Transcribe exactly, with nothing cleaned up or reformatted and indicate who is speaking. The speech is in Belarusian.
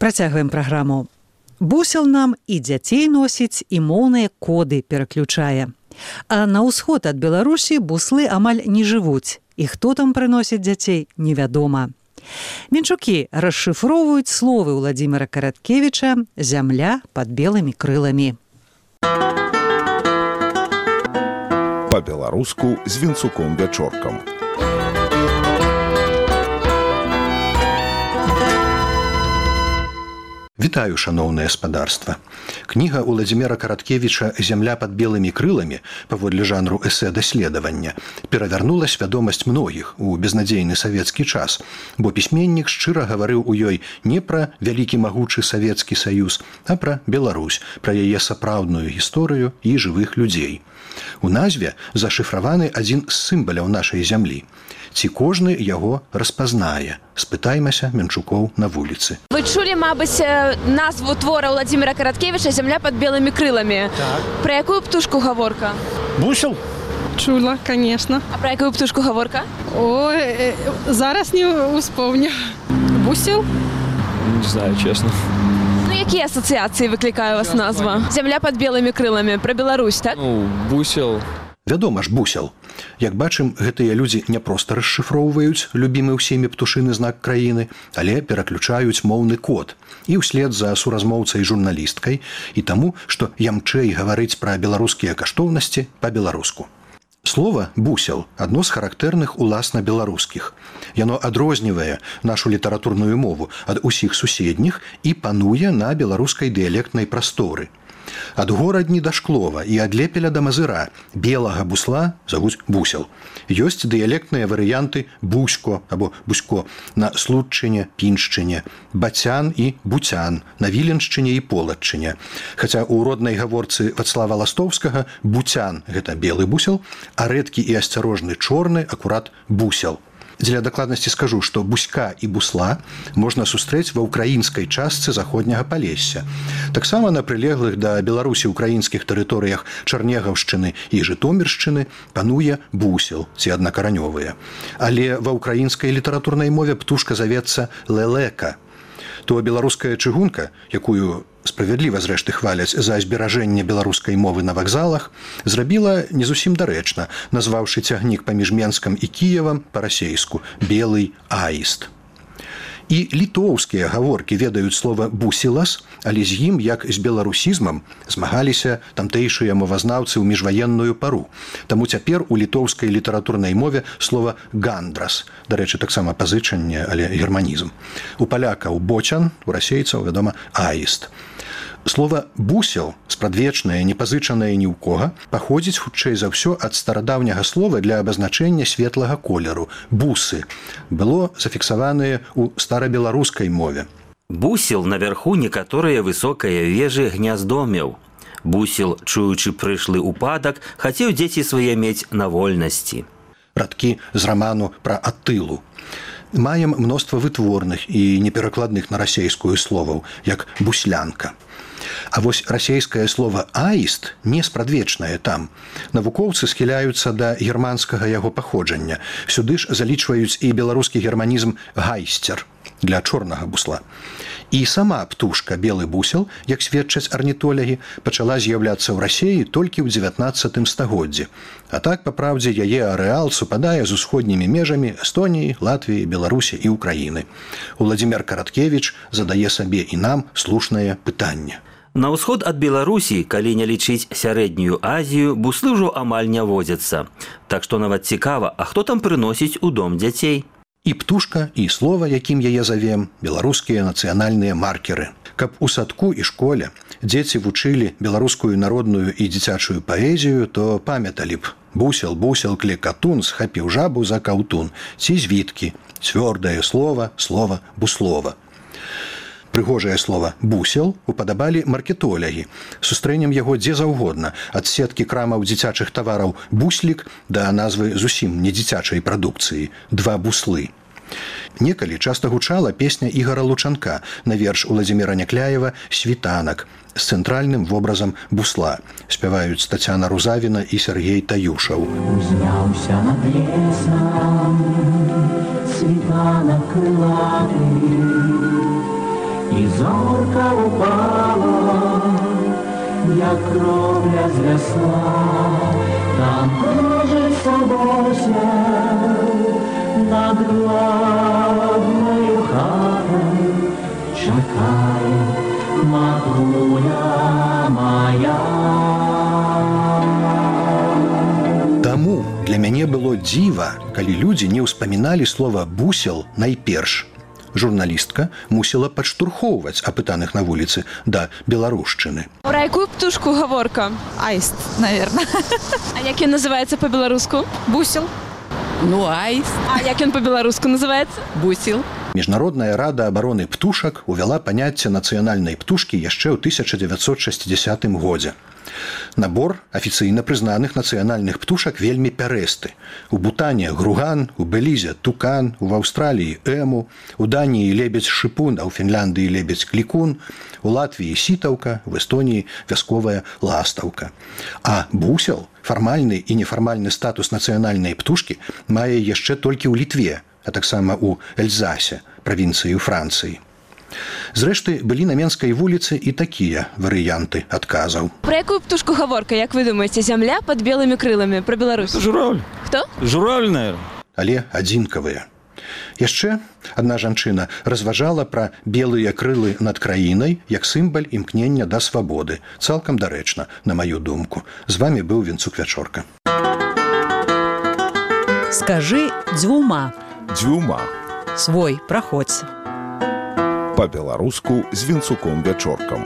Speaker 1: Працягваем праграму. Бусел нам і дзяцей носіць, і моўныя коды пераключае. А на ўсход ад Беларусі буслы амаль не жывуць. І хто там прыносіць дзяцей, невядома. Менчукі расшыфроўваюць словы Владзіміра Караткевіча «Зямля пад белымі крыламі».
Speaker 2: Па-беларуску з Вінцуком Вячоркам.
Speaker 3: Вітаю, шаноўнае спадарства. Кніга Владзіміра Караткевіча «Зямля пад белымі крыламі» паводле жанру эсэ-даследавання перавярнула свядомасць многіх у безнадзейны савецкі час, бо пісьменнік шчыра гаварыў у ёй не пра вялікі магучы Савецкі Саюз, а пра Беларусь, пра яе сапраўдную гісторыю і жывых людзей. У назве зашыфраваны адзін з сімваляў нашай зямлі. Ці кожны яго распазнае? Спытаймася Менчукоў на вуліцы.
Speaker 4: Вы чулі, мабыць, назву твора Владзіміра Караткевіча «Зямля пад белымі крыламі».
Speaker 5: Так.
Speaker 4: Пра якую птушку гаворка?
Speaker 5: Бусел?
Speaker 6: Чула, конечно.
Speaker 4: А пра якую птушку гаворка?
Speaker 6: Ой, зараз не успомню. Бусел?
Speaker 5: Не знаю, честно.
Speaker 4: Ну, якія асацыяцыі выклікае вас назва? «Зямля пад белымі крыламі». Пра Беларусь, так?
Speaker 5: Ну, бусел...
Speaker 3: Вядома ж, бусел. Як бачым, гэтыя людзі не проста расшыфроўваюць любімы ўсімі птушыны знак краіны, але пераключаюць моўны код. І ўслед за суразмоўцай журналісткай і таму, што ямчэй гаварыць пра беларускія каштоўнасці па-беларуску. Слова «бусел» – адно з характэрных уласна беларускіх. Яно адрознівае нашу літаратурную мову ад усіх суседніх і пануе на беларускай дыялектнай прасторы. Ад горадні да Шклова і ад Лепеля да Мазыра белага бусла завуць бусел. Ёсць дыялектныя варыянты бусько або бусько на Случчыне, Піншчыне, бацян і буцян на Віленшчыне і Полаччыне. Хаця ў роднай гаворцы Вацлава Ластоўскага буцян – гэта белы бусел, а рэдкі і асцярожны чорны акурат бусел. Дзеля дакладнасці скажу, што буська і бусла можна сустрэць ва ўкраінскай частцы заходняга Палесся. Таксама на прылеглых да Беларусі ўкраінскіх тэрыторыях Чарнегаўшчыны і Жытоміршчыны пануе бусел, ці аднакаранёвыя. Але ва ўкраінскай літаратурнай мове птушка завецца лэлека. То беларуская чыгунка, якую справядліва зрэшты хваляць за зберажэнне беларускай мовы на вакзалах, зрабіла не зусім дарэчна, назваўшы цягнік паміж Менскам і Кіевам па-расейску «белый аіст». І літоўскія гаворкі ведаюць слова «бусілас», але з ім, як з беларусізмам, змагаліся тамтэйшыя мовазнаўцы ў міжваенную пару. Таму цяпер у літоўскай літаратурнай мове слова «гандрас». Дарэчы, таксама пазычанне, але германізм. У палякаў «бочан», у расейцаў, вядома, «аіст». Слова «бусел», спрадвечнае, не пазычанае ні ў кога, паходзіць хутчэй за ўсё ад старадаўняга слова для абазначэння светлага колеру – «бусы». Было зафіксаванае ў старабеларускай мове.
Speaker 7: Бусел наверху некаторыя высокыя вежы гняздомеў. Бусел, чуючы прышлы ўпадак, хацеў дзеці свае мець на вольнасці.
Speaker 3: Радкі з раману пра Атылу. Маем мноства вытворных і неперакладных на расейскую словаў, як «буслянка». А вось расейскае слова «аіст» не спрадвечнае там. Навукоўцы схіляюцца да германскага яго паходжання. Сюды ж залічваюць і беларускі германізм «гайсцер» для чорнага бусла. І сама птушка белы бусел, як сведчаць арнітолягі, пачала з'яўляцца ў Расеі толькі ў дзевятнаццатым стагоддзі. А так, па праўдзе, яе арэал супадае з усходнімі межамі Эстоніі, Латвіі, Беларусі і Украіны. Владзімір Караткевіч задае сабе і нам слушнае пытанне.
Speaker 7: На ўсход ад Беларусі, калі не лічыць сярэднюю Азію, буслы ўжо амаль не водзяцца. Так што нават цікава, а хто там прыносіць у дом дзяцей?
Speaker 3: І птушка, і слова, якім яе завем, беларускія нацыянальныя маркеры. Каб у садку і школе дзеці вучылі беларускую народную і дзіцячую паэзію, то памяталі б: бусел, бусел, клекатун, схапіў жабу за каўтун, ці звіткі, цвёрдае слова, слова, буслова. Прыгожае слова «бусел» упадабалі маркетолягі. Сустрэнем яго дзе заўгодна, ад сеткі крамаў дзіцячых тавараў «буслік» да назвы зусім не дзіцячай прадукцыі «два буслы». Некалі часта гучала песня Ігара Лучанка на верш Владзіміра Някляева «Світанак» з цэнтральным вобразам бусла. Спяваюць Тацяна Рузавіна і Сергей Таюшаў.
Speaker 8: Узняўся над лесам світанак крылаты, і зорка упала, як кровля з весла, там кружиться босел над главною хатою, чекає матуля моя.
Speaker 3: Таму для мяне было дзіва, калі людзі не ўспаміналі слова «бусел» найперш. Журналістка мусіла падштурхоўваць апытаных на вуліцы да беларушчыны.
Speaker 4: Про якую птушку гаворка?
Speaker 9: Аист, наверное.
Speaker 4: А як ён называецца по-беларуску?
Speaker 9: Бусел. Ну, аист.
Speaker 4: А як ён по-беларуску называецца?
Speaker 9: Бусел.
Speaker 3: Міжнародная рада абароны птушак увяла паняцце нацыянальнай птушкі яшчэ ў тысяча дзевяцьсот шэсцідзясятым годзе. Набор афіцыйна прызнаных нацыянальных птушак вельмі пярэсты. У Бутане груган, у Белізе тукан, у Аўстраліі эму, у Даніі лебедзь-шыпун, а ў Фінляндыі лебедзь-клікун, у Латвіі сітаўка, в Эстоніі вясковая ластаўка. А бусел, фармальны і нефармальны статус нацыянальнай птушкі мае яшчэ толькі ў Літве, а таксама ў Эльзасе, правінцыі ў Францыі. Зрэшты, былі на Менскай вуліцы і такія варыянты адказаў.
Speaker 4: Про якую птушку гаворка, як вы думаеце, зямля под белымі крыламі, про Беларусь?
Speaker 5: Журавль.
Speaker 4: Хто?
Speaker 5: Журавль, наверное.
Speaker 3: Але адзінкавыя. Яшчэ адна жанчына разважала пра белыя крылы над краінай як сімбаль імкнення да свабоды. Цалкам дарэчна, на маю думку. З вамі быў Вінцук Вячорка.
Speaker 1: Скажы дзвюма.
Speaker 2: Дзвюма.
Speaker 1: Свой, праходзь.
Speaker 2: Па-беларуску з Вінцуком Вячоркам.